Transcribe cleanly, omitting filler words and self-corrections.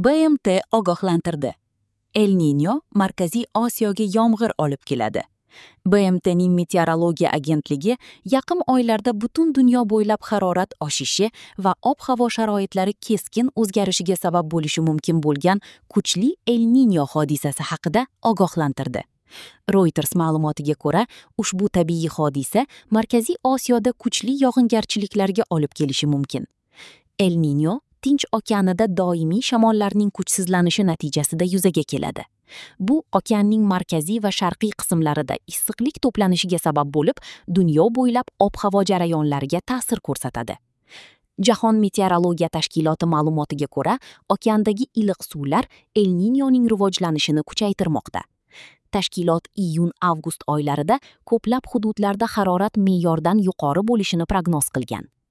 BMT ogohlantirdi. El Niño Markaziy Osiyoga yomg'ir olib keladi. BMTning meteorologiya agentligi yaqin oylarda butun dunyo bo'ylab harorat oshishi va ob-havo sharoitlari keskin o'zgarishiga sabab bo'lishi mumkin bo'lgan kuchli El Niño hodisasi haqida ogohlantirdi. Reuters ma'lumotiga ko'ra, ushbu tabiiy hodisa Markaziy Osiyoda kuchli yog'ingarchiliklarga olib kelishi mumkin. El Niño Tinch okeanida doimiy shamollarning kuchsizlanishi natijasida yuzaga keladi. Bu okeanning markaziy va sharqiy qismlarida issiqlik to'planishiga sabab bo'lib, dunyo bo'ylab ob-havo jarayonlariga ta'sir ko'rsatadi. Jahon meteorologiya tashkiloti ma'lumotiga ko'ra, okeandagi iliq suvlar El Niñoning rivojlanishini kuchaytirmoqda. Tashkilot iyun-avgust oylarida ko'plab hududlarda harorat me'yordan yuqori bo'lishini prognoz qilgan.